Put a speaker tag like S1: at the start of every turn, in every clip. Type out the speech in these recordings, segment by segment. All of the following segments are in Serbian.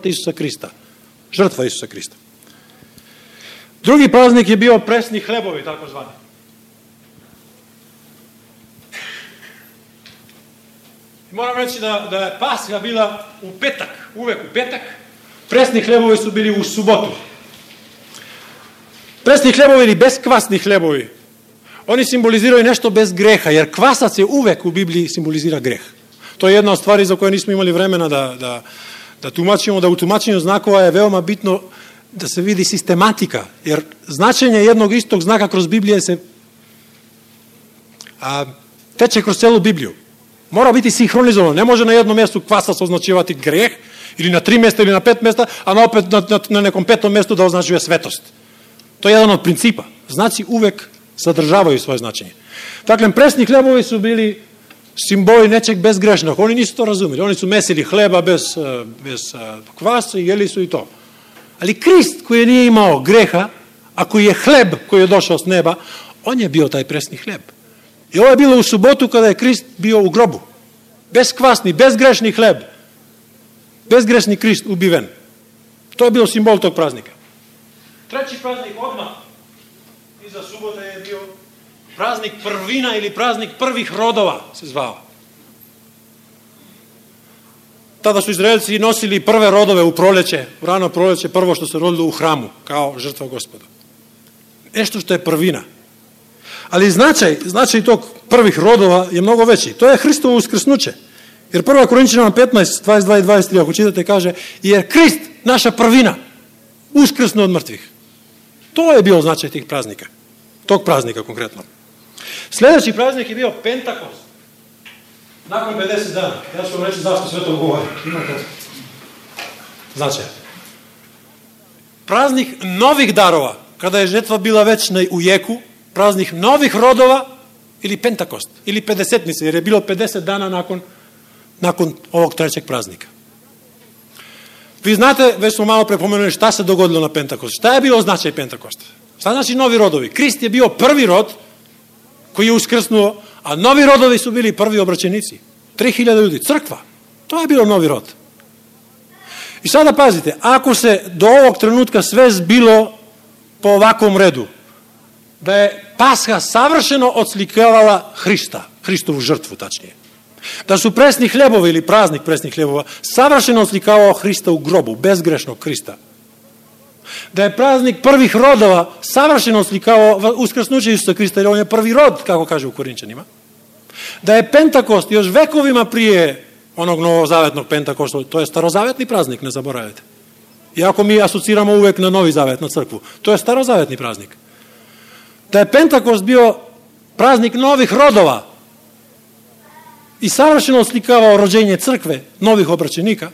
S1: Isusa Krista. Žrtva Isusa Krista. Drugi praznik je bio presni hlebovi, tako zvani. Moram reći da je Pasha bila u petak, uvek u petak. Presni hlebovi su bili u subotu. Presni hlebovi ili beskvasni hlebovi, oni simboliziraju nešto bez greha, jer kvasac je uvek u Bibliji simbolizira greh. To je jedna od stvari za koje nismo imali vremena da tumačimo, da u tumačenju znakova je veoma bitno da se vidi sistematika, jer značenje jednog istog znaka kroz Biblije se teče kroz celu Bibliju. Mora biti sinhronizovano. Ne može na jednom mjestu kvasac označivati greh, ili na 3 mjesta ili na 5 mjesta, a na nekom 5. mjestu da označuje svetost. To je jedan od principa. Znaci uvek sadržavaju svoje značenje. Dakle, presni hlebovi su bili simboli nečeg bezgrešnog. Oni nisu to razumeli. Oni su mesili hleba bez kvasa i jeli su i to. Ali Krist koji nije imao greha, a koji je hleb koji je došao s neba, on je bio taj presni hleb. I ovo je bilo u subotu kada je Krist bio u grobu. Beskvasni, bezgrešni hleb. Bezgrešni Krist ubiven. To je bio simbol tog praznika. Treći praznik odmah iza subote je bio praznik prvina ili praznik prvih rodova se zvao. Tada su Izraelci nosili prve rodove u proleće, u rano proleće, prvo što se rodilo u hramu, kao žrtva Gospoda. Nešto što je prvina. Ali značaj tog prvih rodova je mnogo veći. To je Hristovo uskrsnuće. Jer 1. Korinćanima 15, 22 i 23, ako čitate, kaže, jer Krist, naša prvina, uskrsnu od mrtvih. To je bio značaj tih praznika. Tog praznika konkretno. Sljedeći praznik je bio Pentakost. Nakon 50 dana. Ja ću vam reći zašto sve to govori. Imate značaj. Praznik novih darova. Kada je žetva bila već u jeku, praznik novih rodova ili Pentakost. Ili 50-nice, jer je bilo 50 dana nakon ovog trećeg praznika. Vi znate, već smo malo prepomenuli šta se dogodilo na Pentakostu. Šta je bilo značaj Pentakosta? Šta znači novi rodovi? Krist je bio prvi rod koji je uskrsnuo, a novi rodovi su bili prvi obraćenici. 3000 ljudi, crkva. To je bilo novi rod. I sada pazite, ako se do ovog trenutka sve zbilo po ovakvom redu, da je Pasha savršeno odslikavala Hrista, Hristovu žrtvu tačnije. Da su presni hlebovi ili praznik presnih hlebova savršeno oslikavao Hrista u grobu, bezgrešnog Hrista. Da je praznik prvih rodova savršeno oslikavao uskrsnuće Isusa Hrista, jer on je prvi rod, kako kaže u Korinčanima. Da je Pentakost još vekovima prije onog novozavetnog Pentakosta, to je starozavetni praznik, ne zaboravite. Iako mi asociramo uvek na Novi Zavet, na crkvu. To je starozavetni praznik. Da je Pentakost bio praznik novih rodova i savršeno oslikavao rođenje crkve, novih obraćenika,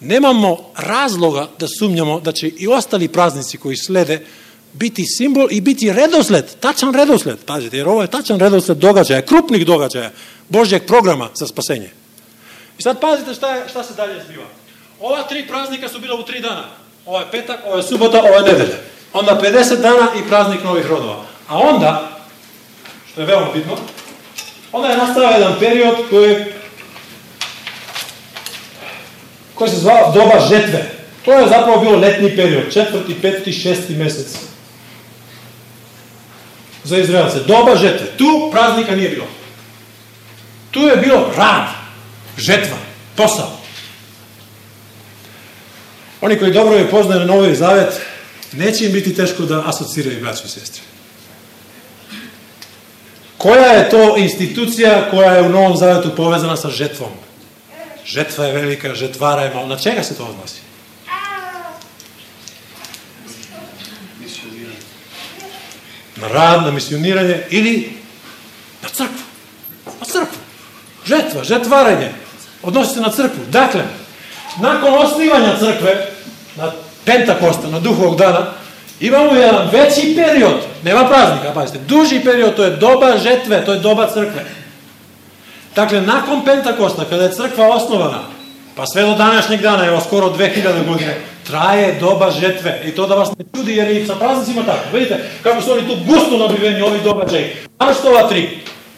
S1: nemamo razloga da sumnjamo da će i ostali praznici koji slede biti simbol i biti redosled, tačan redosled, pazite, jer ovo je tačan redosled događaja, krupnih događaja, Božjeg programa za spasenje. I sad pazite šta se dalje zbiva. Ova 3 praznika su bila u 3 dana. Ovo je petak, ovo je subota, ovo je nedelja. Onda 50 dana i praznik novih rodova. A onda, što je veoma bitno, onda je nastao jedan period koji se zvao doba žetve. To je zapravo bilo letni period, 4., 5., 6. mesec. Za Izraelce. Doba žetve. Tu praznika nije bilo. Tu je bilo rad, žetva, posao. Oni koji dobro je poznaju Novi Zavet, neće im biti teško da asociraju braću i sestre. Koja je to institucija koja je u Novom Zavetu povezana sa žetvom? Žetva je velika, žetvara je malo. Na čega se to odnosi? Na rad, na misioniranje ili na crkvu. Na crkvu. Žetva, žetvaranje. Odnosi se na crkvu. Dakle, nakon osnivanja crkve, na Pentakosta, na Duhovog dana, imamo jedan veći period, nema praznika, pazite, duži period, to je doba žetve, to je doba crkve. Dakle, nakon Pentakosta, kada je crkva osnovana, pa sve do današnjeg dana, evo skoro 2000 godine, traje doba žetve. I to da vas ne čudi, jer i sa praznicima tako. Vidite kako su oni tu gusto nabiveni, ovi događaji. Danas što ova 3.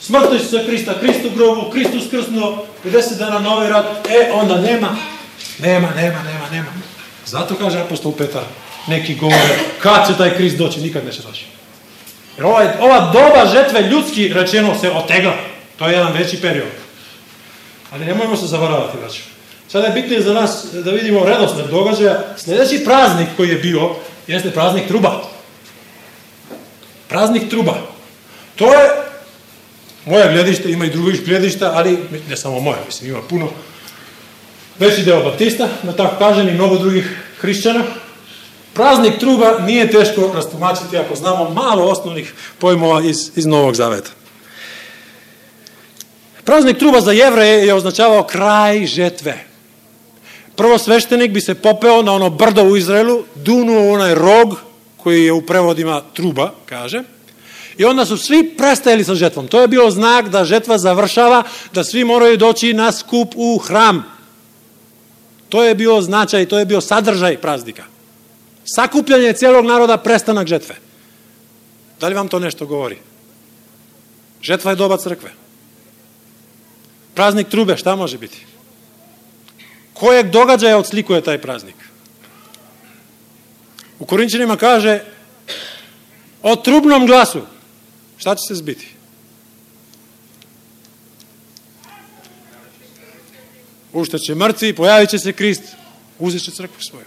S1: Smrt Isusa Hrista, Krist u grobu, Krist uskrsnuo, 50 dana novi rad, onda nema Nema. Zato kaže apostol Petar, neki govore, kad će taj Krist doći, nikad neće doći. Jer ova doba žetve ljudski rečeno se otegla. To je jedan veći period. Ali nemojmo se zavaravati, braćo. Sada je bitnije za nas da vidimo redosled događaja. Sljedeći praznik koji je bio, jeste praznik truba. Praznik truba. To je moje gledište, ima i drugih gledišta, ali ne samo moje, mislim, ima puno. Veći deo baptista, da tako kažem, i mnogo drugih hrišćana. Praznik truba nije teško rastumačiti ako znamo malo osnovnih pojmova iz Novog Zaveta. Praznik truba za Jevreje je označavao kraj žetve. Prvo sveštenik bi se popeo na ono brdo u Izraelu, dunuo onaj rog, koji je u prevodima truba, kaže, i onda su svi prestajali sa žetvom. To je bio znak da žetva završava, da svi moraju doći na skup u hram. To je bio značaj, to je bio sadržaj praznika. Sakupljanje cijelog naroda, prestanak žetve. Da li vam to nešto govori? Žetva je doba crkve. Praznik trube, šta može biti? Kojeg događaja odslikuje taj praznik? U Korinćanima kaže o trubnom glasu. Šta će se zbiti? Ustaće mrtvi, pojavit će se Krist, uzet će crkvu svoju.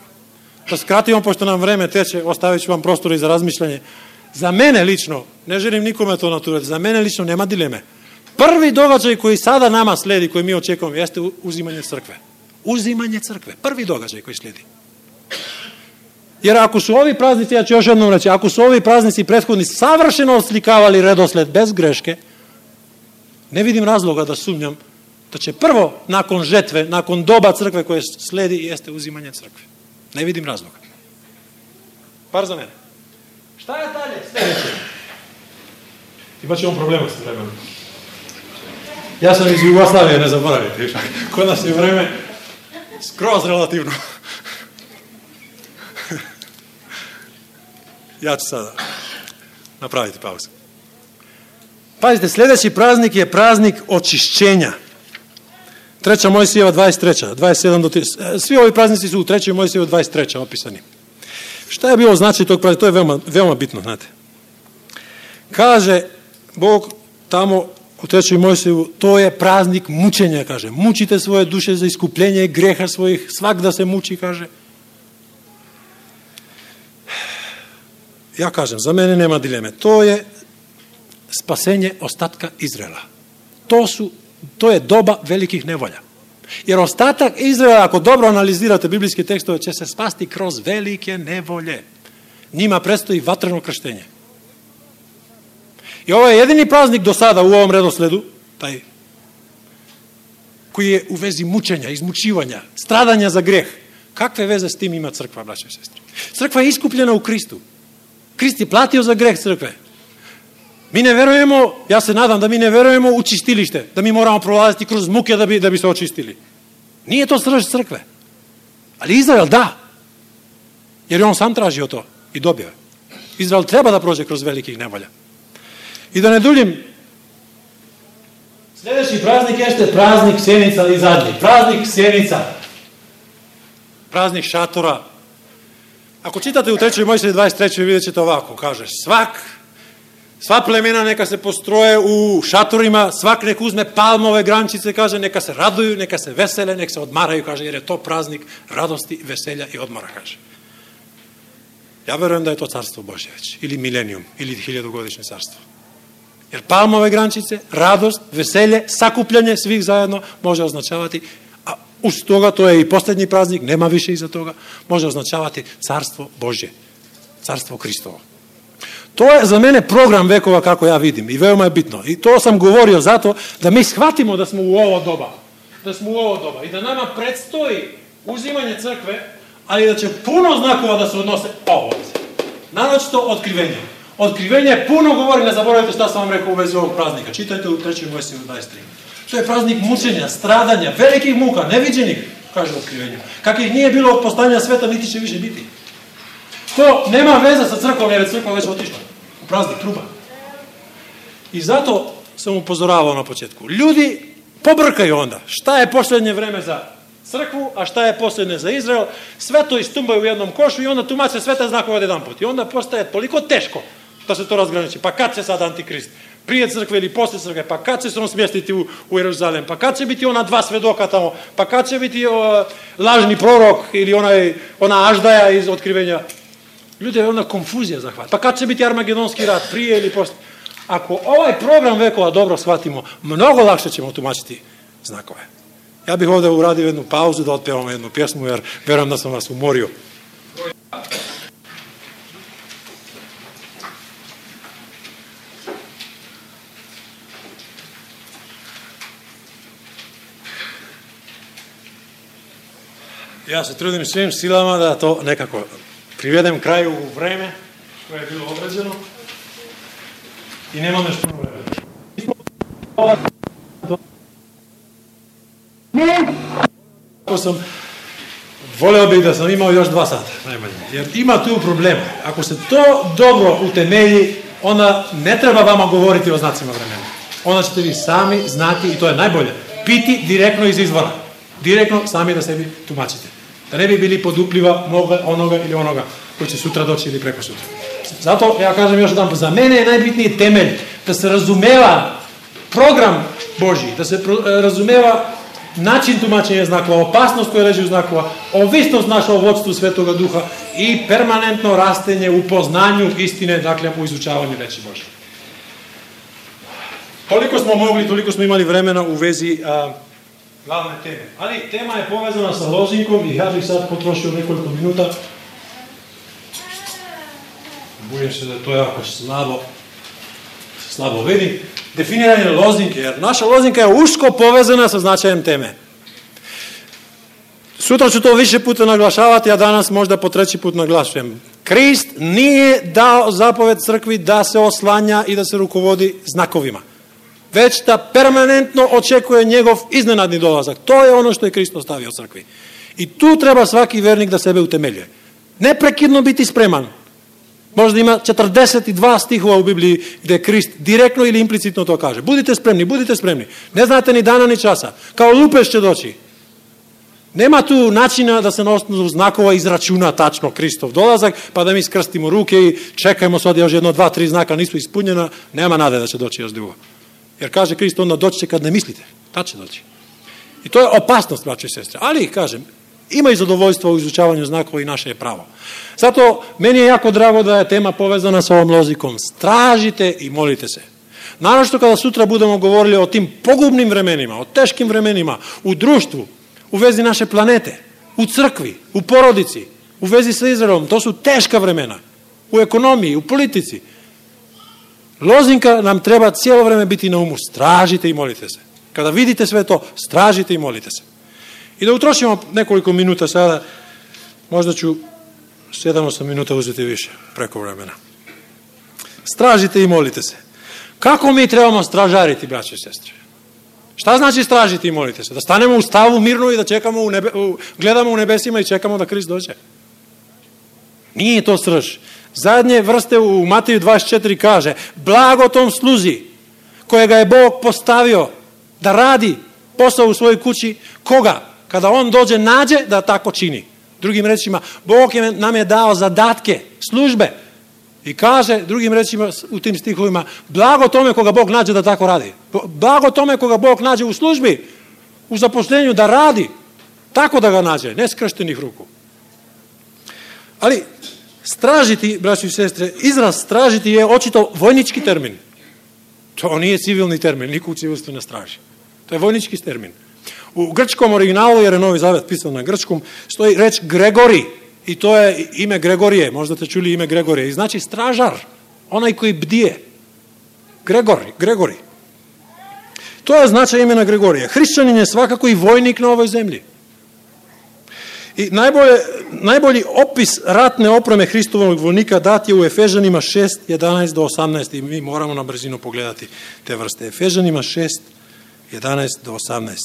S1: Da skratimo, pošto nam vreme teče, ostavit ću vam prostora i za razmišljanje. Za mene lično, ne želim nikome to naturati, za mene lično nema dileme. Prvi događaj koji sada nama sledi, koji mi očekujemo, jeste uzimanje crkve. Uzimanje crkve. Prvi događaj koji slijedi. Jer ako su ovi praznici, ja ću još jednom reći, ako su ovi praznici prethodni savršeno oslikavali redosled bez greške, ne vidim razloga da sumnjam da će prvo nakon žetve, nakon doba crkve koje sledi, jeste uzimanje crkve. Ne vidim razloga. Par za mene. Šta je dalje? Sljedeće. Imat ćemo problema s vremenom. Ja sam iz Jugoslavije, ne zaboravite. Kod nas je vreme skroz relativno. Ja ću sada napraviti pauzu. Pazite, sljedeći praznik je praznik očišćenja. 3. Mojsijeva 23. 27 do 30. Svi ovi praznici su u 3. Mojsijeva 23. opisani. Šta je bilo značaj tog praznika? To je veoma bitno, znate. Kaže Bog tamo u 3. Mojsijevu, to je praznik mučenja, kaže. Mučite svoje duše za iskupljenje greha svojih, svak da se muči, kaže. Ja kažem, za mene nema dileme. To je spasenje ostatka Izraela. To je doba velikih nevolja. Jer ostatak Izraela, ako dobro analizirate biblijske tekstove, će se spasti kroz velike nevolje. Njima predstoji vatreno krštenje. I ovo je jedini praznik do sada u ovom redosledu, taj koji je u vezi mučenja, izmučivanja, stradanja za greh. Kakve veze s tim ima crkva, braćo i sestre? Crkva je iskupljena u Kristu. Krist je platio za greh crkve. Mi ne verujemo, ja se nadam da mi ne verujemo u čistilište, da mi moramo prolaziti kroz muke da bi se očistili. Nije to srž crkve. Ali Izrael da. Jer je on sam tražio to i dobio je. Izrael treba da prođe kroz velikih nevolja. I da ne duljim, sljedeći praznik jeste praznik sjenica i zadnji. Praznik sjenica. Praznik šatora. Ako čitate u 3. Mojsijevi 23. vidjet ćete ovako, kaže, sva plemena neka se postroje u šatorima, svak nek uzme palmove grančice, kaže, neka se raduju, neka se vesele, neka se odmaraju, kaže, jer je to praznik radosti, veselja i odmora, kaže. Ja verujem da je to carstvo Božje već, ili milenijum, ili 1000-godišnje carstvo. Jer palmove grančice, radost, veselje, sakupljanje svih zajedno može označavati, a uz toga, to je i posljednji praznik, nema više iza toga, može označavati carstvo Božje, carstvo Hristovo. To je za mene program vekova kako ja vidim i veoma je bitno. I to sam govorio zato da mi shvatimo da smo u ovo doba. I da nama predstoji uzimanje crkve, ali da će puno znakova da se odnose ovo. Naročito otkrivenje. Otkrivenje puno govori, ne zaboravite šta sam vam rekao u vezi ovog praznika. Čitajte u 3. Mojsijevu 23. To je praznik mučenja, stradanja, velikih muka, neviđenih, kaže otkrivenju. Kakvih nije bilo od postanja sveta, niti će više biti. To nema veze sa crkvom, jer je crkva već otišla u praznik truba. I zato sam upozoravao na početku. Ljudi pobrkaju onda. Šta je posljednje vreme za crkvu, a šta je posljednje za Izrael, sve to istumbaju u jednom košu i onda tumače sve te znakove jedan put. I onda postaje toliko teško da se to razgraniči. Pa kad će sad Antikrist? Prije crkve ili posle crkve? Pa kad će se on smjestiti u Jeruzalem? Pa kad će biti ona dva svedoka tamo? Pa kad će biti lažni prorok ili ona Aždaja iz Otkrivenja? Ljudi, je ona konfuzija zahvata. Pa kad će biti Armagedonski rat? Prije ili posle? Ako ovaj program vekova dobro shvatimo, mnogo lakše ćemo tumačiti znakove. Ja bih ovdje uradio jednu pauzu da otpevamo jednu pjesmu, jer verujem da sam vas umorio. Ja se trudim svim silama da to nekako privedem kraju u vreme koje je bilo određeno i nemam još puno vremena. Voleo bih da sam imao još 2 sata, najmanje. Jer ima tu problema. Ako se to dobro utemelji, onda ne treba vama govoriti o znacima vremena. Onda ćete vi sami znati, i to je najbolje, piti direktno iz izvora. Direktno sami da sebi tumačite. Da ne bi bili pod upliva onoga ili onoga koji će sutra doći ili preko sutra. Zato ja kažem još jedan, za mene je najbitniji temelj da se razumeva program Božji, da se razumeva način tumačenja znakova, opasnost koja leži u znakova, ovisnost naša o vodstvu Svetoga Duha i permanentno rastenje u poznanju istine, dakle u izučavanju reči Božje. Koliko smo mogli, toliko smo imali vremena u vezi glavne teme. Ali tema je povezana sa lozinkom i ja bih sad potrošio nekoliko minuta. Bojim se da to jako slabo vidi. Definiranje lozinke, jer naša lozinka je usko povezana sa značajem teme. Sutra ću to više puta naglašavati, a danas možda po 3. put naglašujem. Krist nije dao zapoved crkvi da se oslanja i da se rukovodi znakovima, već da permanentno očekuje njegov iznenadni dolazak. To je ono što je Krist ostavio crkvi. I tu treba svaki vernik da sebe utemeljuje. Neprekidno biti spreman. Možda ima 42 stihova u Bibliji gdje Krist direktno ili implicitno to kaže. Budite spremni, budite spremni. Ne znate ni dana ni časa. Kao lupež će doći. Nema tu načina da se na osnovu znakova izračuna tačno Kristov dolazak, pa da mi skrstimo ruke i čekajmo sad još 1, 2, 3 znaka nisu ispunjena. Nema nade da će doći još drugo. Jer kaže Krist, onda doći će kad ne mislite. Tad će doći. I to je opasnost, braće i sestre. Ali, kažem, ima i zadovoljstvo u izučavanju znakova i naše je pravo. Zato meni je jako drago da je tema povezana sa ovom lozikom. Stražite i molite se. Naročito kada sutra budemo govorili o tim pogubnim vremenima, o teškim vremenima, u društvu, u vezi naše planete, u crkvi, u porodici, u vezi sa Izraelom. To su teška vremena. U ekonomiji, u politici. Lozinka nam treba cijelo vreme biti na umu. Stražite i molite se. Kada vidite sve to, stražite i molite se. I da utrošimo nekoliko minuta sada, možda ću 7-8 minuta uzeti više preko vremena. Stražite i molite se. Kako mi trebamo stražariti, braće i sestre? Šta znači stražiti i molite se? Da stanemo u stavu mirno i da čekamo gledamo u nebesima i čekamo da Krist dođe? Nije to srž. Zadnje vrste u Mateju 24 kaže: blago tom sluzi kojega je Bog postavio da radi posao u svojoj kući. Koga? Kada on dođe, nađe da tako čini. Drugim rečima, Bog nam je dao zadatke, službe. I kaže, drugim rečima u tim stihovima, blago tome koga Bog nađe da tako radi. Blago tome koga Bog nađe u službi, u zaposlenju da radi. Tako da ga nađe, ne skrštenih ruku. Ali stražiti, braći i sestre, izraz stražiti je očito vojnički termin. To nije civilni termin, niko u civilstvu ne straži. To je vojnički termin. U grčkom originalu, jer je Novi Zavet pisan na grčkom, stoji reč Gregori. I to je ime Gregorije. Možda ste čuli ime Gregorije. I znači stražar. Onaj koji bdije. Gregori. To je značaj imena Gregorije. Hrišćanin je svakako i vojnik na ovoj zemlji. I najbolji opis ratne opreme Hristovog vojnika dat je u Efežanima 6, 11 do 18. I mi moramo na brzinu pogledati te vrste. Efežanima 6, 11 do 18.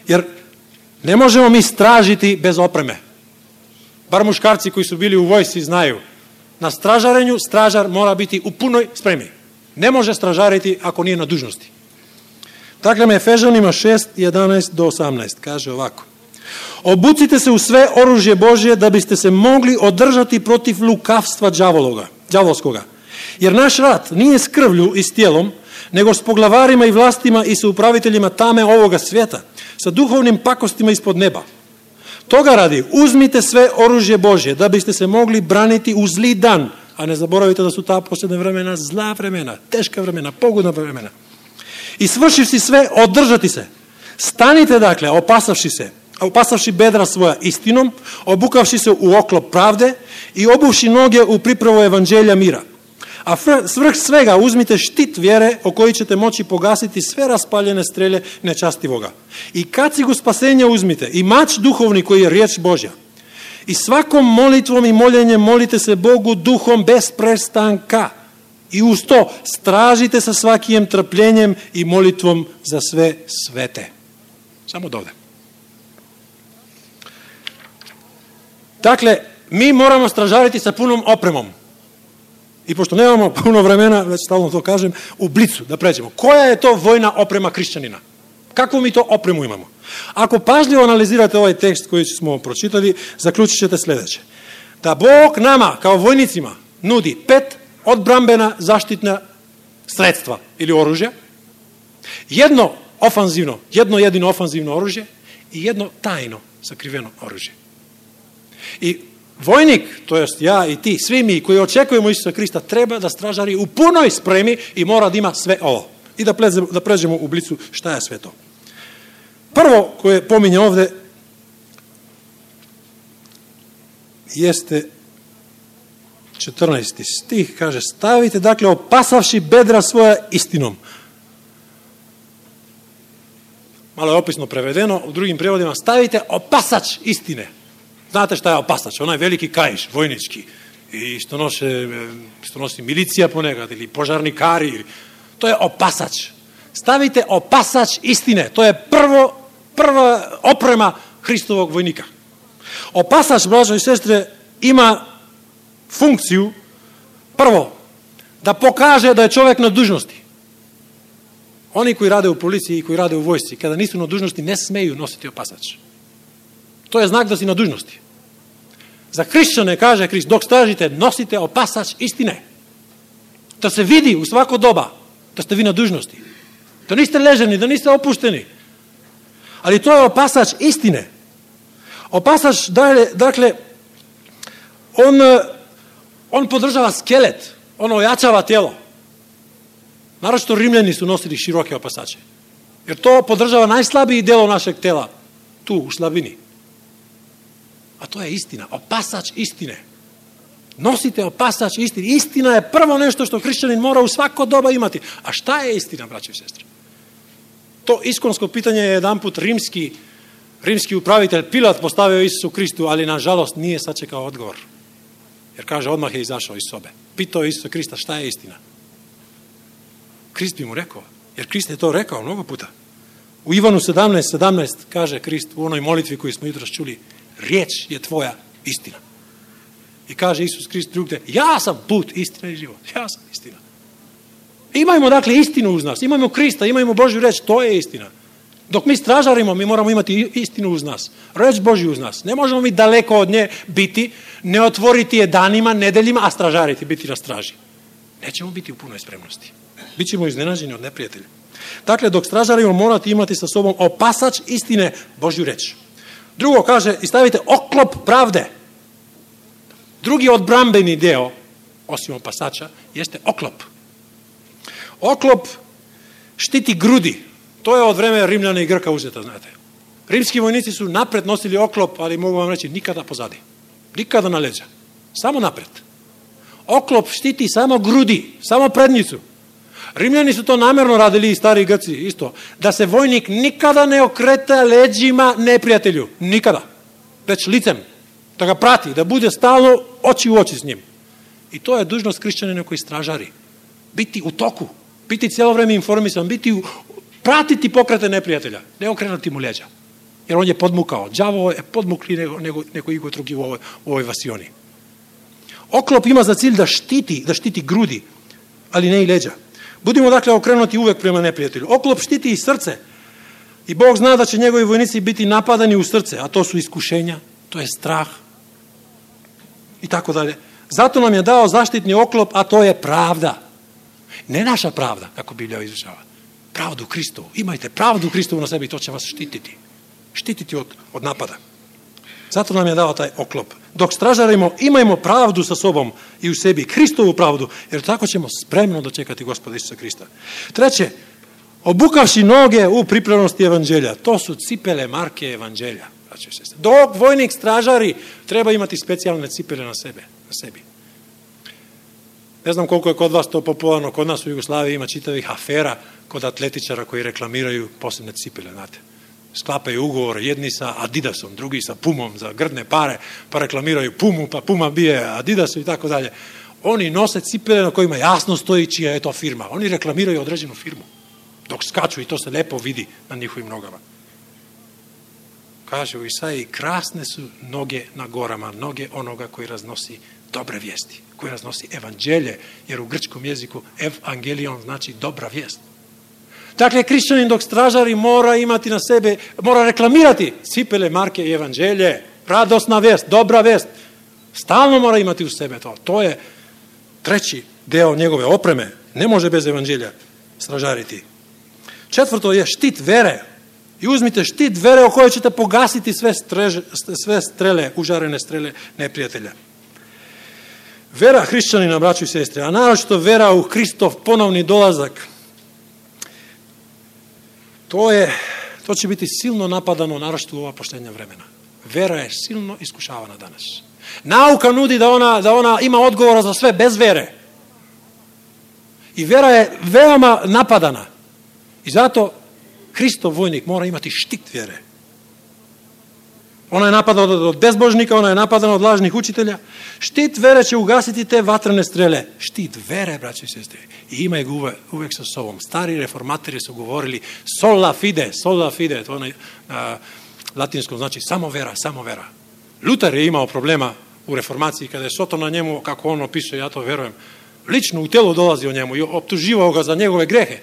S1: Jer ne možemo mi stražiti bez opreme. Bar muškarci koji su bili u vojsci znaju. Na stražarenju stražar mora biti u punoj spremi. Ne može stražariti ako nije na dužnosti. Dakle, Efežanima 6, 11 do 18 kaže ovako: Obucite se u sve oružje Božje da biste se mogli održati protiv lukavstva đavolskoga. Jer naš rat nije s krvlju i s tijelom, nego s poglavarima i vlastima i sa upraviteljima tame ovoga svijeta, sa duhovnim pakostima ispod neba. Toga radi, uzmite sve oružje Božje da biste se mogli braniti u zli dan, a ne zaboravite da su ta posljedna vremena zla vremena, teška vremena, pogodna vremena. I svršivši sve, održati se. Stanite dakle, opasavši bedra svoja istinom, obukavši se u oklop pravde i obuvši noge u pripravu evanđelja mira. A svrh svega uzmite štit vjere o koji ćete moći pogasiti sve raspaljene strelje nečastivoga. I kacigu spasenja uzmite i mač duhovni koji je riječ Božja. I svakom molitvom i moljenjem molite se Bogu duhom bez prestanka. I uz to stražite sa svakim trpljenjem i molitvom za sve svete. Samo dovde. Dakle, mi moramo stražariti sa punom opremom. I pošto nemamo puno vremena, već stalno to kažem, u blicu da pređemo. Koja je to vojna oprema hrišćanina? Kakvu mi to opremu imamo? Ako pažljivo analizirate ovaj tekst koji smo pročitali, zaključit ćete sljedeće. Da Bog nama, kao vojnicima, nudi 5 odbrambena zaštitna sredstva ili oružja, jedno jedino ofanzivno oružje i jedno tajno sakriveno oružje. I vojnik, to jest ja i ti, svi mi koji očekujemo Isusa Krista, treba da stražari u punoj spremi i mora da ima sve ovo. I da pređemo u blicu šta je sve to. Prvo koje pominje ovde jeste 14. stih, kaže, stavite dakle opasavši bedra svoja istinom. Malo je opisno prevedeno, u drugim prevodima stavite opasač istine. Znate šta je opasač? Onaj veliki kaiš, vojnički, i što nosi milicija ponekad, ili požarnikari. To je opasač. Stavite opasač istine. To je prva oprema Hristovog vojnika. Opasač, braćo i sestre, ima funkciju, prvo, da pokaže da je čovjek na dužnosti. Oni koji rade u policiji i koji rade u vojsci, kada nisu na dužnosti, ne smeju nositi opasač. To je znak da si na dužnosti. Za hrišćane, kaže Krist, dok stražite, nosite opasač istine. Da se vidi u svako doba da ste vi na dužnosti. Da niste leženi, da niste opušteni. Ali to je opasač istine. Opasač, dakle, on podržava skelet, on ojačava tijelo. Naročito Rimljani su nosili široke opasače. Jer to podržava najslabiji delo našeg tela, tu u slabini. A to je istina, opasač istine. Nosite opasač istine. Istina je prvo nešto što hrišćanin mora u svako doba imati. A šta je istina, braće i sestre? To iskonsko pitanje je jedanput rimski upravitelj Pilat postavio Isusu Kristu, ali nažalost nije sačekao odgovor. Jer kaže, odmah je izašao iz sobe. Pitao je Isusa Krista šta je istina. Krist bi mu rekao, jer Krist je to rekao mnogo puta. U Ivanu 17:17 kaže Krist u onoj molitvi koju smo jutros čuli, riječ je tvoja istina. I kaže Isus Krist drugde, ja sam put, istina i život. Ja sam istina. Imajmo dakle istinu uz nas, imajmo Krista, imajmo Božju reč, to je istina. Dok mi stražarimo, mi moramo imati istinu uz nas, reč Božju uz nas. Ne možemo mi daleko od nje biti, ne otvoriti je danima, nedeljima, a stražariti, biti na straži. Nećemo biti u punoj spremnosti. Bićemo iznenađeni od neprijatelja. Dakle, dok stražarimo, morate imati sa sobom opasač istine, Božju reč. Drugo kaže, i stavite oklop pravde. Drugi odbrambeni deo, osim opasača, jeste oklop. Oklop štiti grudi. To je od vremena Rimljana i Grka uzeta, znate. Rimski vojnici su napred nosili oklop, ali mogu vam reći, nikada pozadi. Nikada na leđa. Samo napred. Oklop štiti samo grudi, samo prednjicu. Rimljani su to namjerno radili i stari Grci isto. Da se vojnik nikada ne okreta leđima neprijatelju. Nikada. Već licem. Da ga prati, da bude stalno oči u oči s njim. I to je dužnost hrišćanina koji stražari. Biti u toku. Biti cijelo vrijeme informisan. Pratiti pokrete neprijatelja. Ne okrenuti mu leđa. Jer on je podmukao. Đavo je podmukli nego igo drugi u ovoj vasioni. Oklop ima za cilj da štiti grudi, ali ne i leđa. Budimo dakle okrenuti uvek prema neprijatelju. Oklop štiti i srce. I Bog zna da će njegovi vojnici biti napadani u srce, a to su iskušenja, to je strah i tako dalje. Zato nam je dao zaštitni oklop, a to je pravda. Ne naša pravda, kako Biblija izučava. Pravdu Kristovu. Imajte pravdu Kristovu na sebi i to će vas štititi. Štititi od napada. Zato nam je dao taj oklop. Dok stražarimo, imajmo pravdu sa sobom i u sebi, Kristovu pravdu, jer tako ćemo spremno dočekati Gospoda Isusa Krista. Treće, obukavši noge u pripravnosti evanđelja. To su cipele marke evanđelja. Dok vojnik stražari, treba imati specijalne cipele na sebi. Ne znam koliko je kod vas to popularno, kod nas u Jugoslaviji ima čitavih afera kod atletičara koji reklamiraju posebne cipele, znate. Sklapaju ugovor jedni sa Adidasom, drugi sa Pumom za grdne pare, pa reklamiraju Pumu, pa Puma bije Adidasu i tako dalje. Oni nose cipele na kojima jasno stoji čija je to firma. Oni reklamiraju određenu firmu dok skaču i to se lepo vidi na njihovim nogama. Kaže u Isaiji, krasne su noge na gorama, noge onoga koji raznosi dobre vijesti, koji raznosi evanđelje, jer u grčkom jeziku evangelion znači dobra vijest. Dakle, hrišćanin dok stražari mora imati na sebe, mora reklamirati cipele marke i evanđelje, radosna vijest, dobra vijest. Stalno mora imati u sebe to. To je treći deo njegove opreme. Ne može bez evanđelja stražariti. Četvrto je štit vere. I uzmite štit vere o kojoj ćete pogasiti sve strele, užarene strele neprijatelja. Vera hrišćanina, braćo i sestre, a naročito vera u Hristov ponovni dolazak, to će biti silno napadano, naročito u ova posljednja vremena. Vera je silno iskušavana danas. Nauka nudi da ona ima odgovora za sve bez vere. I vera je veoma napadana. I zato Hristov vojnik mora imati štit vjere. Ona je napadana od bezbožnika, ona je napadana od lažnih učitelja. Štit vere će ugasiti te vatrene strele. Štit vere, braći i sestre. I imaj ga uvek sa sobom. Stari reformatori su govorili sola fide, to na latinskom znači samo vera, samo vera. Luter je imao problema u reformaciji kada je Soto na njemu, kako on opisuje, ja to verujem, lično u telu dolazi o njemu i optuživao ga za njegove grehe.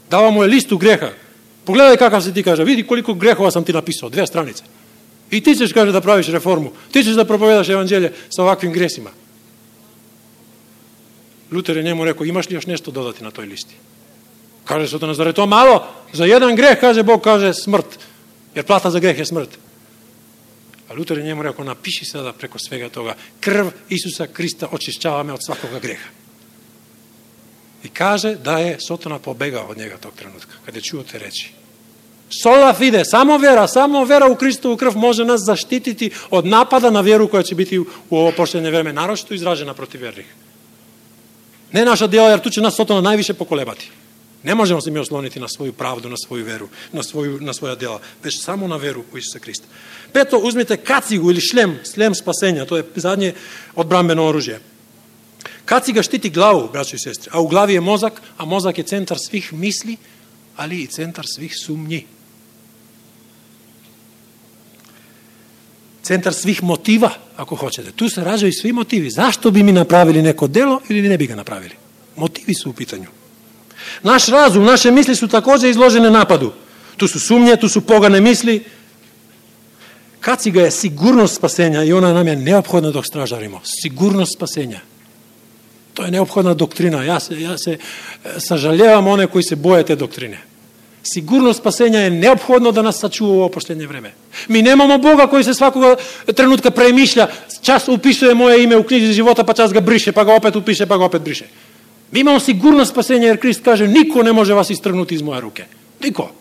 S1: Dao mu je listu greha. Pogledaj kakav se ti kaže, vidi koliko grehova sam ti napisao, 2 stranice. I ti ćeš, kaže, da praviš reformu. Ti ćeš da propovedaš evanđelje sa ovakvim gresima. Luter je njemu rekao, imaš li još nešto dodati na toj listi? Kaže Sotona, zar je to malo? Za jedan greh, kaže Bog, kaže smrt. Jer plata za greh je smrt. A Luter je njemu rekao, napiši sada preko svega toga, krv Isusa Krista očišćava me od svakoga greha. I kaže da je Sotona pobegao od njega tog trenutka, kada je čuo te reči. Sola fide, samo vera u Kristovu krv može nas zaštititi od napada na vjeru koja će biti u ovo posljednje vreme, naročito izražena protiv vjernih. Ne naša djela, jer tu će nas Sotona najviše pokolebati. Ne možemo se mi osloniti na svoju pravdu, na svoju veru, na svoja djela, već samo na veru u Isusa Krista. Peto, uzmite kacigu ili šlem spasenja, to je zadnje odbrambeno oružje. Kaciga štiti glavu, braćo i sestre, a u glavi je mozak, a mozak je centar svih misli, ali i centar svih sumnji. Centar svih motiva, ako hoćete. Tu se rađaju svi motivi. Zašto bi mi napravili neko delo ili ne bi ga napravili? Motivi su u pitanju. Naš razum, naše misli su također izložene napadu. Tu su sumnje, tu su pogane misli. Kaciga je sigurnost spasenja i ona nam je neophodna dok stražarimo. Sigurnost spasenja. To je neophodna doktrina. Ja se sažaljevam one koji se boje te doktrine. Sigurnost spasenja je neophodno da nas sačuva u ovo posljednje vreme. Mi nemamo Boga koji se svakoga trenutka premišlja, čas upisuje moje ime u knjizi života, pa čas ga briše, pa ga opet upiše, pa ga opet briše. Mi imamo sigurnost spasenja jer Krist kaže, niko ne može vas istrgnuti iz moje ruke. Niko.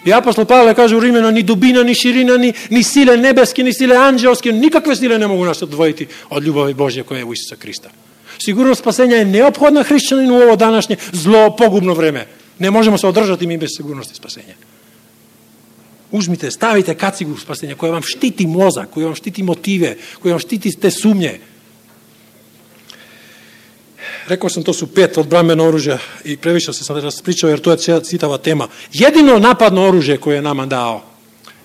S1: I apostol Pavle kaže u Rimljana, ni dubina, ni širina, ni sile nebeske, ni sile anđelske, nikakve sile ne mogu nas odvojiti od ljubavi Božje koja je u Isusa Krista. Sigurnost spasenja je neophodna hrišćaninu u ovo današnje zlo, pogubno vreme. Ne možemo se održati mi bez sigurnosti spasenja. Uzmite, stavite kacigu spasenja koja vam štiti mozak, koja vam štiti motive, koja vam štiti te sumnje. Rekao sam, to su 5 odbrambena oružja i previše se sam raspričao jer to je citava tema. Jedino napadno oružje koje je nama dao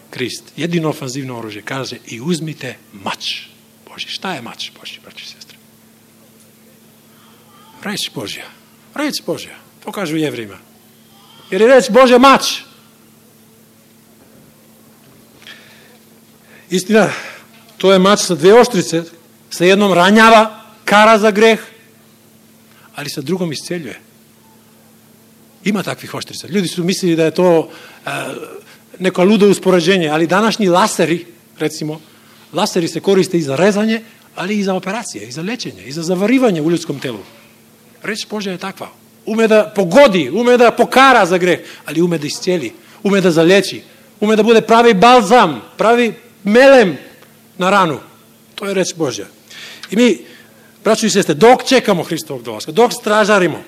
S1: Krist, jedino ofanzivno oružje, kaže i uzmite mač Božji. Šta je mač Božji, braći i sestre? Reč Božja. To kažu Jevrima. Jer je reč Božja mač. Istina, to je mač sa dve oštrice, sa jednom ranjava, kara za greh, ali sa drugom isceljuje. Ima takvih oštrica. Ljudi su mislili da je to neko ludo uspoređenje, ali današnji laseri, recimo, laseri se koriste i za rezanje, ali i za operacije, i za lečenje, i za zavarivanje u ljudskom telu. Reč Božja je takva. Ume da pogodi, ume da pokara za greh, ali ume da iscijeli, ume da zaleči, ume da bude pravi balzam, pravi melem na ranu. To je reč Božja. I mi, braćo i sestre, dok čekamo Hristovog dolaska, dok stražarimo,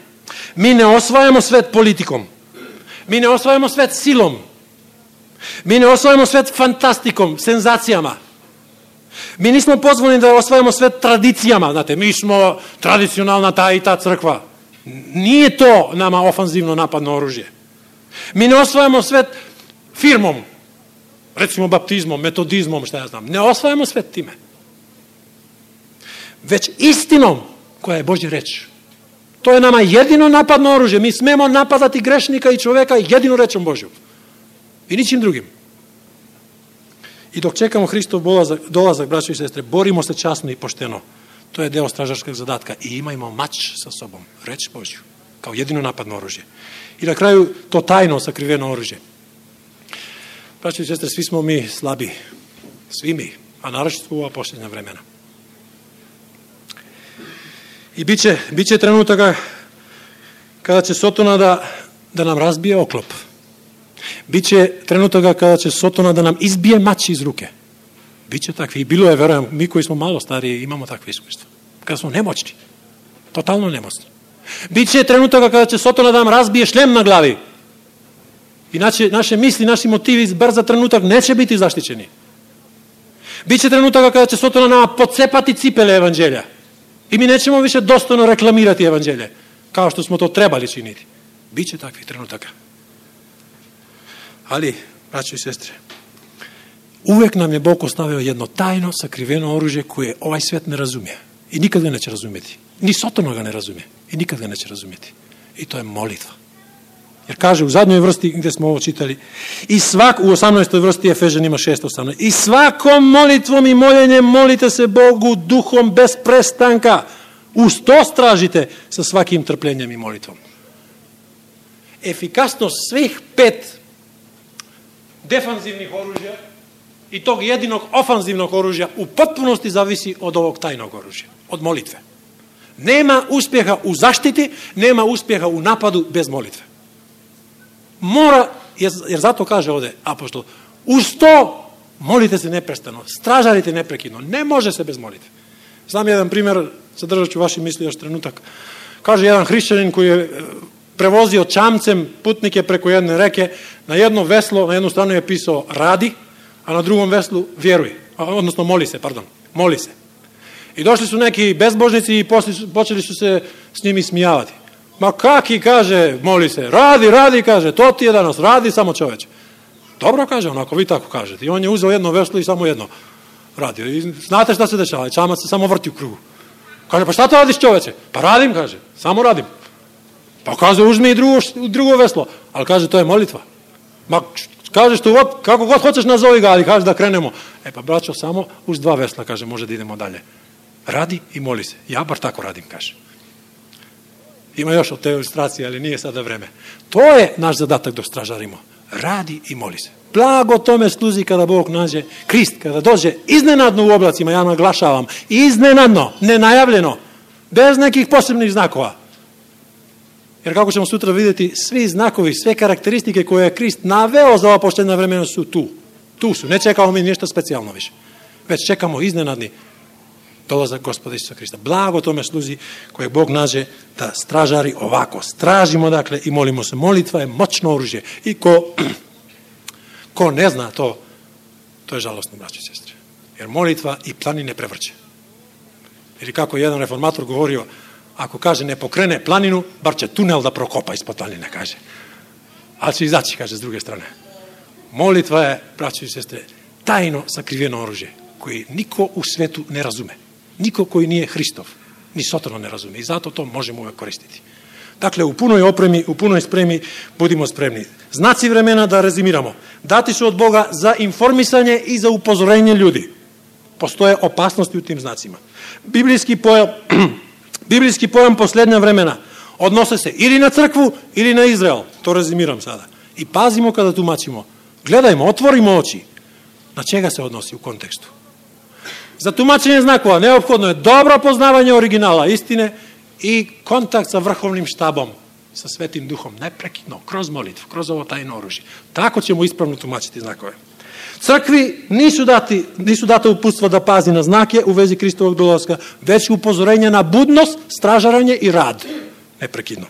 S1: mi ne osvajamo svet politikom, mi ne osvajamo svet silom, mi ne osvajamo svet fantastikom, senzacijama. Mi nismo pozvani da osvajamo svet tradicijama, znate, mi smo tradicionalna ta i ta crkva. Nije to nama ofanzivno napadno oružje. Mi ne osvajamo svet firmom, recimo baptizmom, metodizmom, šta ja znam. Ne osvajamo svet time. Već istinom koja je Božja reč. To je nama jedino napadno oružje. Mi smemo napadati grešnika i čoveka jedino rečom Božjom. I ničim drugim. I dok čekamo Hristov dolazak, braćo i sestre, borimo se časno i pošteno. To je deo stražarskog zadatka. I imajmo mač sa sobom, reč Božju, kao jedino napadno oružje. I na kraju to tajno sakriveno oružje. Braćo i sestre, svi smo mi slabi. Svi mi, a naročito u ova posljednja vremena. I bit će trenutaka kada će Sotona da nam razbije oklop. Biće trenutaka kada će Sotona da nam izbije mač iz ruke. Biće takvi. I bilo je, verujem, mi koji smo malo stariji imamo takve iskustva. Kada smo nemoćni. Totalno nemoćni. Biće trenutaka kada će Sotona da nam razbije šlem na glavi. I naše misli, naši motivi bar za trenutak neće biti zaštićeni. Biće trenutaka kada će Sotona nama pocepati cipele evanđelja. I mi nećemo više dostojno reklamirati evanđelje, kao što smo to trebali činiti. Biće takvih trenutaka. Ali, braćo i sestre, uvek nam je Bog ostavio jedno tajno, sakriveno oružje koje ovaj svet ne razumije. I nikad ga neće razumjeti. Ni Sotona ga ne razumije. I nikad ga neće razumjeti. I to je molitva. Jer kaže u zadnjoj vrsti gdje smo ovo čitali, u 18. vrsti Efežanima 6:18, i svakom molitvom i moljenjem molite se Bogu duhom bez prestanka. Uz to stražite sa svakim trpljenjem i molitvom. Efikasnost svih 5 defanzivnih oružja i tog jedinog ofanzivnog oružja u potpunosti zavisi od ovog tajnog oružja, od molitve. Nema uspjeha u zaštiti, nema uspjeha u napadu bez molitve. Mora, jer zato kaže ovdje apostol, uz to molite se neprestano, stražarite neprekidno, ne može se bez molitve. Znam jedan primjer, zadržat ću vaši misli još trenutak. Kaže jedan hrišćanin koji je prevozio čamcem putnike preko jedne reke, na jedno veslo, na jednu stranu je pisao radi, a na drugom veslu vjeruj, odnosno moli se. I došli su neki bezbožnici i počeli su se s njimi smijavati. Ma kaki, kaže, moli se, radi, kaže, to ti je danas, radi samo čoveče. Dobro, kaže on, ako vi tako kažete. I on je uzeo jedno veslo i samo jedno radio. I znate šta se dešava, čamac se samo vrti u krugu. Kaže, pa šta to radiš čoveče? Pa radim, kaže, samo radim. Pa kaže, uzmi i drugo veslo. Ali kaže, to je molitva. Ma kažeš tu, kako god hoćeš nazovi ga, ali kaže da krenemo. Pa braćo, samo uz 2 vesla, kaže, može da idemo dalje. Radi i moli se. Ja bar tako radim, kaže. Ima još od te ilustracije, ali nije sada vreme. To je naš zadatak dok stražarimo. Radi i moli se. Blago tome sluzi kada Bog nađe Krist, kada dođe iznenadno u oblacima, ja naglašavam, iznenadno, nenajavljeno, bez nekih posebnih znakova. Jer kako ćemo sutra vidjeti, svi znakovi, sve karakteristike koje je Krist naveo za ova poštena vremena su tu. Tu su. Ne čekamo mi ništa specijalno više. Već čekamo iznenadni dolazak Gospoda Isusa Krista. Blago tome sluzi koje Bog nađe da stražari ovako. Stražimo, dakle, i molimo se. Molitva je moćno oružje. I ko ne zna to je žalostno, braćo i sestre. Jer molitva i planine prevrće. Ili kako je jedan reformator govorio, ako kaže ne pokrene planinu, bar će tunel da prokopa ispod planine, kaže. Ali će izaći, kaže, s druge strane. Molitva je, braćo i sestre, tajno sakriveno oružje koje niko u svetu ne razume. Niko koji nije Hristov, ni Sotona ne razume. I zato to možemo uvek koristiti. Dakle, u punoj opremi, u punoj spremi budimo spremni. Znaci vremena, da rezimiramo, dati su od Boga za informisanje i za upozorenje ljudi. Postoje opasnosti u tim znacima. Biblijski pojam posljednja vremena odnose se ili na crkvu ili na Izrael. To rezimiram sada. I pazimo kada tumačimo. Gledajmo, otvorimo oči. Na čega se odnosi u kontekstu? Za tumačenje znakova neophodno je dobro poznavanje originala istine i kontakt sa vrhovnim štabom, sa Svetim Duhom, neprekidno, kroz molitvu, kroz ovo tajno oružje. Tako ćemo ispravno tumačiti znakove. Crkvi nisu data uputstva da pazi na znake u vezi Kristovog dolaska, već upozorenja na budnost, stražaranje i rad. Neprekidno.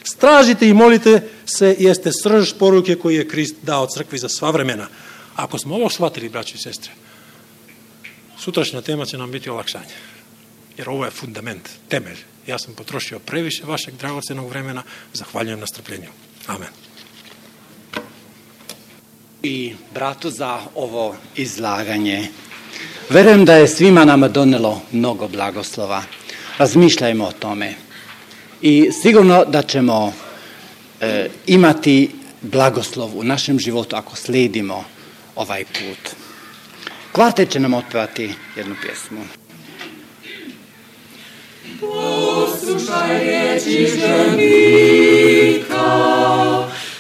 S1: Stražite i molite se jeste srž poruke koju je Krist dao crkvi za sva vremena. Ako smo ovo shvatili, braći i sestre, sutrašnja tema će nam biti olakšanje. Jer ovo je fundament, temelj. Ja sam potrošio previše vašeg dragocenog vremena. Zahvaljujem na strpljenju. Amen.
S2: I bratu za ovo izlaganje. Verujem da je svima nama donelo mnogo blagoslova. Razmišljajmo o tome. I sigurno da ćemo imati blagoslov u našem životu ako slijedimo ovaj put. Kvartet će nam otpevati jednu pjesmu.
S3: Poslušaj riječi ženika,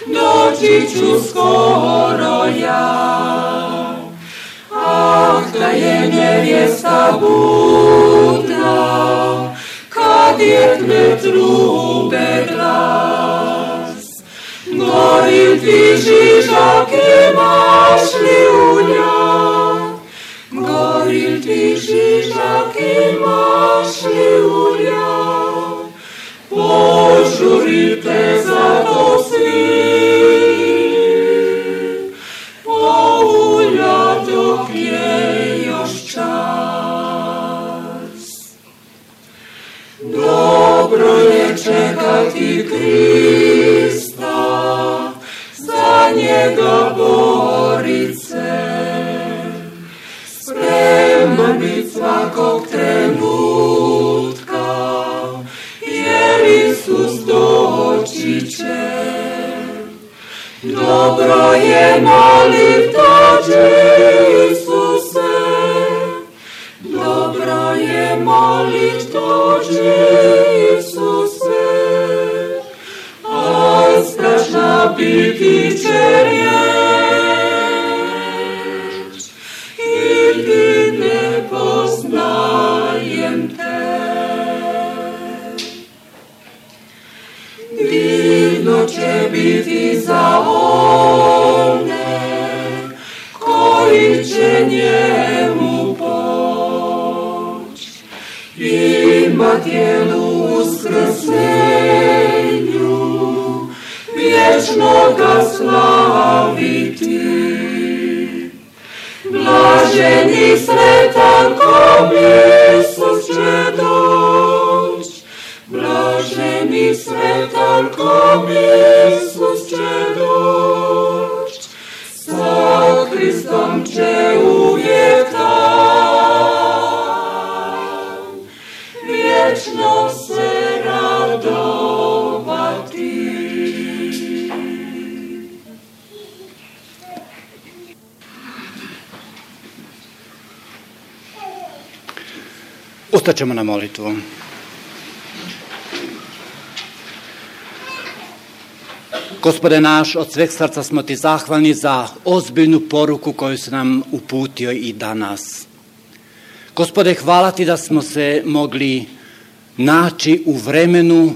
S3: doći ću skoro ja. Ah, da je nevjesta budna, kad jedne trube glas. Gorim ti Žižak, imaš li u njoj? Gorim ti Žižak, imaš li u njoj? Požurite za to svi, poulja dok je još čas. Dobro je čekati Krista, za njega borit se, spreman bit svakog trenutka, jer Isus doći će. Dobro je molit, dođi Isuse, dobro je molit, dođi Isuse, a strašna biti će riječ, ili ne poznajem te. Divno će biti za one koji će njemu poć, ima tijelu uskrsenju, vječno ga slaviti. Blaženi sretan kom Isus će doć, blaženi sretan kom Isus će doć, sa Kristom će uvijek tam, vječno se radovati.
S2: Ustaćemo na molitvu. Gospode naš, od sveg srca smo ti zahvalni za ozbiljnu poruku koju si nam uputio i danas. Gospode, hvala ti da smo se mogli naći u vremenu,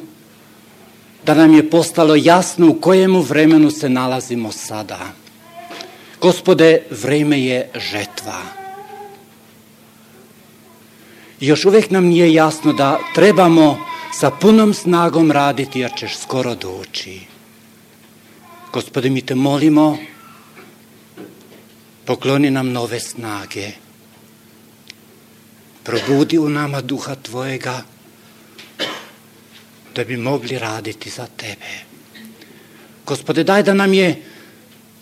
S2: da nam je postalo jasno u kojemu vremenu se nalazimo sada. Gospode, vreme je žetva. I još uvijek nam nije jasno da trebamo sa punom snagom raditi jer ćeš skoro doći. Gospode, mi te molimo, pokloni nam nove snage. Probudi u nama duha tvojega da bi mogli raditi za tebe. Gospode, daj da nam je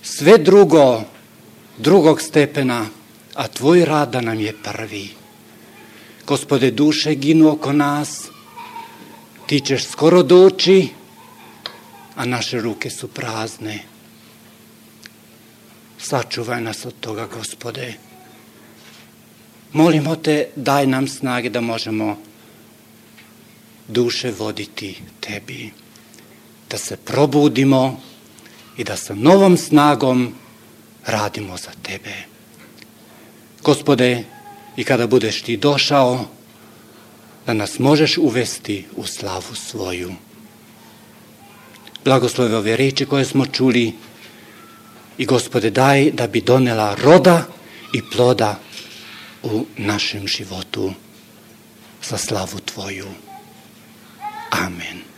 S2: sve drugog stepena, a tvoj rad da nam je prvi. Gospode, duše ginu oko nas, ti ćeš skoro doći, a naše ruke su prazne. Sačuvaj nas od toga, Gospode. Molimo te, daj nam snage da možemo duše voditi tebi, da se probudimo i da sa novom snagom radimo za tebe. Gospode, i kada budeš ti došao, da nas možeš uvesti u slavu svoju. Blagoslovi ove riječi koje smo čuli i Gospode, daj da bi donela roda i ploda u našem životu za slavu tvoju. Amen.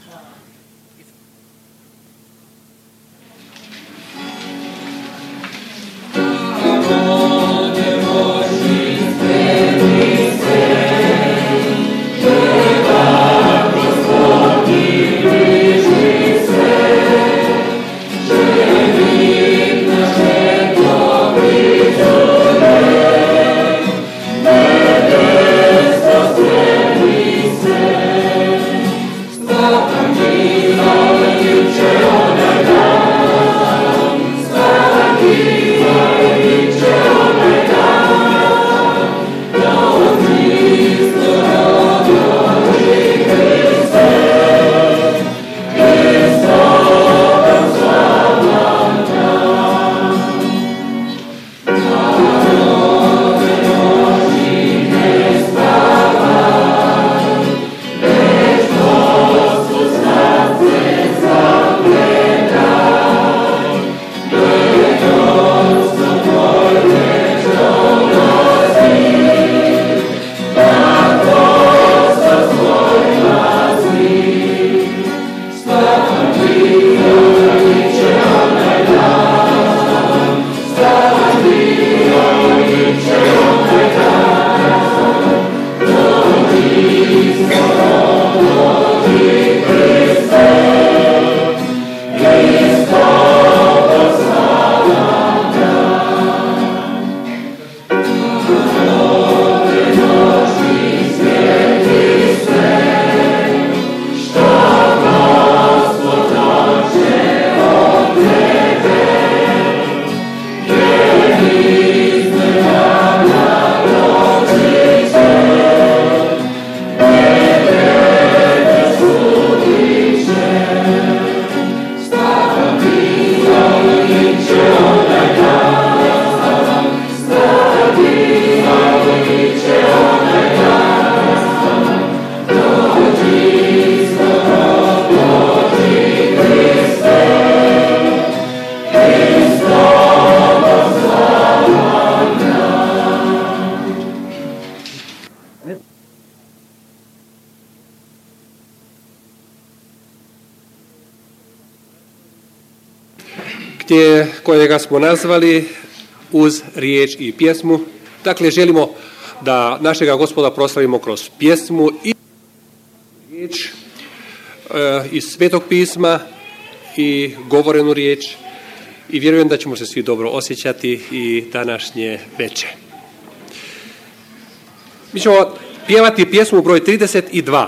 S4: kojega smo nazvali uz riječ i pjesmu. Dakle, želimo da našega Gospoda proslavimo kroz pjesmu i riječ iz Svetog pisma i govorenu riječ i vjerujem da ćemo se svi dobro osjećati i današnje večer. Mi ćemo pjevati pjesmu broj 32.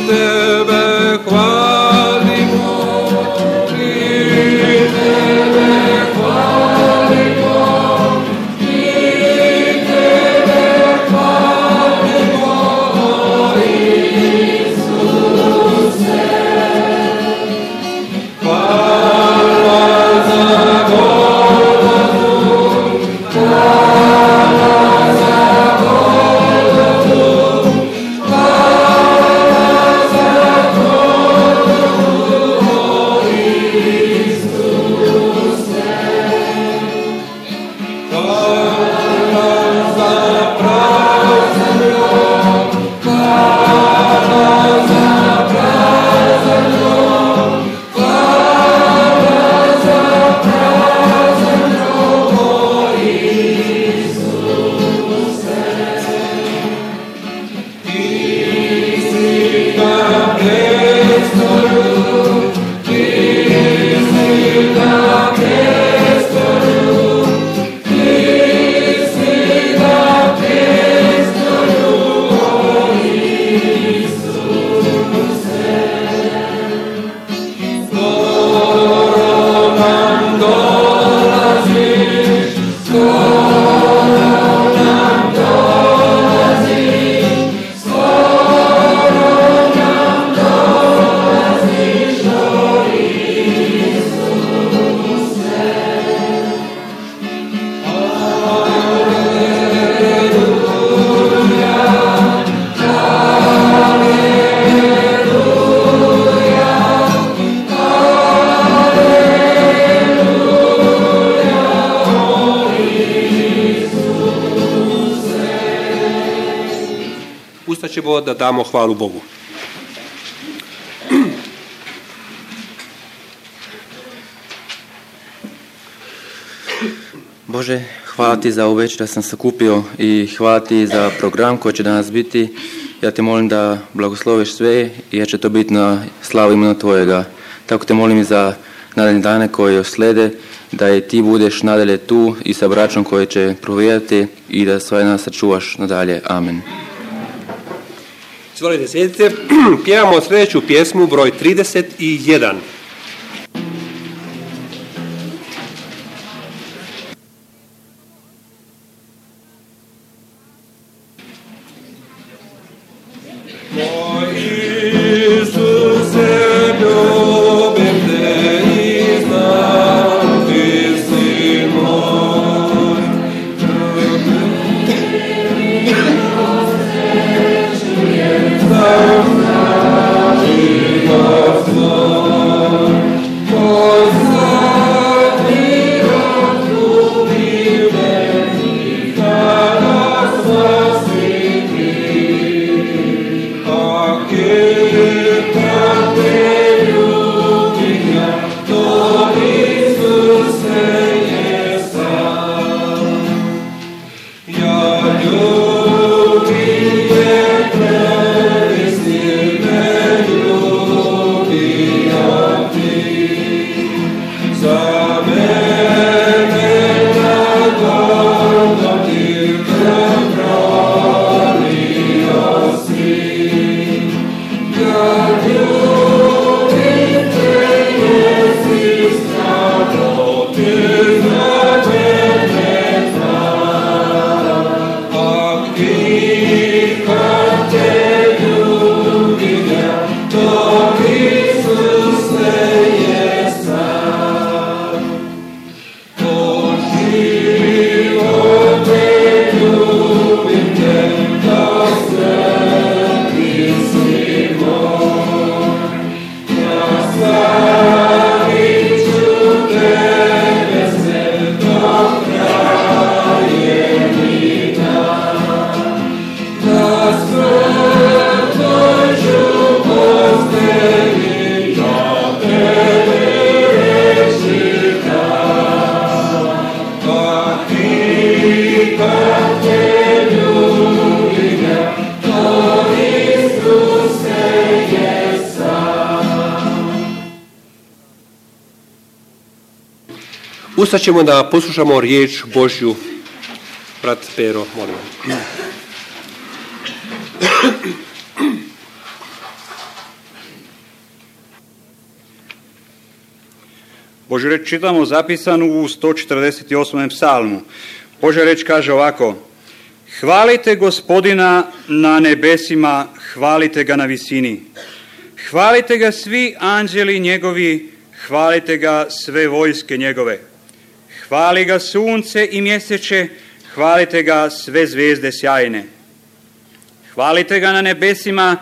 S3: Tebe
S4: Ustaćemo da damo hvalu Bogu.
S5: Bože, hvala ti za ovu večer da sam sakupio i hvala ti za program koji će danas biti. Ja te molim da blagosloviš sve i ja će to biti na slavu imena tvojega. Tako te molim i za nadaljne dane koje slede, da i ti budeš nadalje tu i sa braćom koji će provjerati i da sve nas sačuvaš nadalje. Amen.
S4: Izvolite, sjedite. Pjevamo sljedeću pjesmu, broj 31. Ustaćemo da poslušamo riječ Božju. Brat Pero, molim.
S6: Božja reč čitamo zapisanu u 148. psalmu. Božja reč kaže ovako: Hvalite Gospodina na nebesima, hvalite ga na visini. Hvalite ga svi anđeli njegovi, hvalite ga sve vojske njegove. Hvali ga sunce i mjeseče, hvalite ga sve zvijezde sjajne. Hvalite ga na nebesima,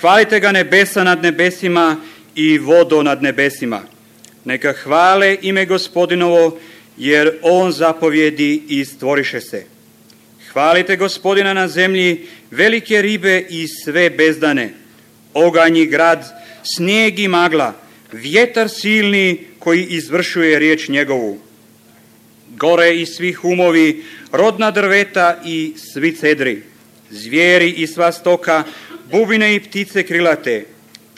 S6: hvalite ga nebesa nad nebesima i vodo nad nebesima. Neka hvale ime Gospodinovo, jer on zapovjedi i stvoriše se. Hvalite Gospodina na zemlji, velike ribe i sve bezdane, oganj i grad, snijeg i magla, vjetar silni koji izvršuje riječ njegovu. Gore i svi humovi, rodna drveta i svi cedri, zvijeri i sva stoka, bubine i ptice krilate,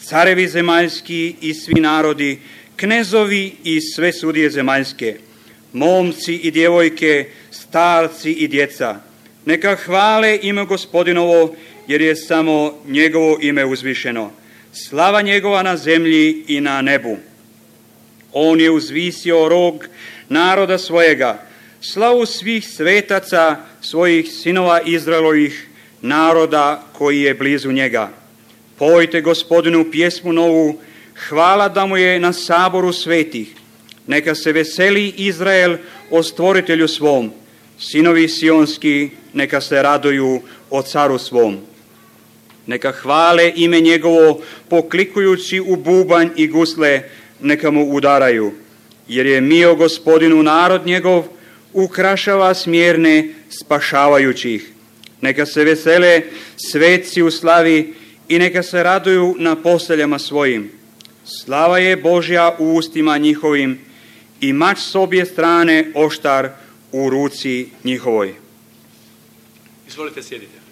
S6: carevi zemaljski i svi narodi, knezovi i sve sudije zemaljske, momci i djevojke, starci i djeca. Neka hvale ime Gospodinovo, jer je samo njegovo ime uzvišeno. Slava njegova na zemlji i na nebu. On je uzvisio rog naroda svojega, slavu svih svetaca, svojih sinova Izraelovih, naroda koji je blizu njega. Pojte Gospodinu pjesmu novu, hvala da mu je na saboru svetih. Neka se veseli Izrael o stvoritelju svom, sinovi sionski neka se raduju o caru svom. Neka hvale ime njegovo poklikujući u bubanj i gusle, neka mu udaraju. Jer je mio Gospodinu narod njegov, ukrašava smjerne spašavajućih. Neka se vesele svetci u slavi i neka se raduju na posteljama svojim. Slava je Božja u ustima njihovim i mač s obje strane oštar u ruci njihovoj.
S1: Izvolite, sjedite.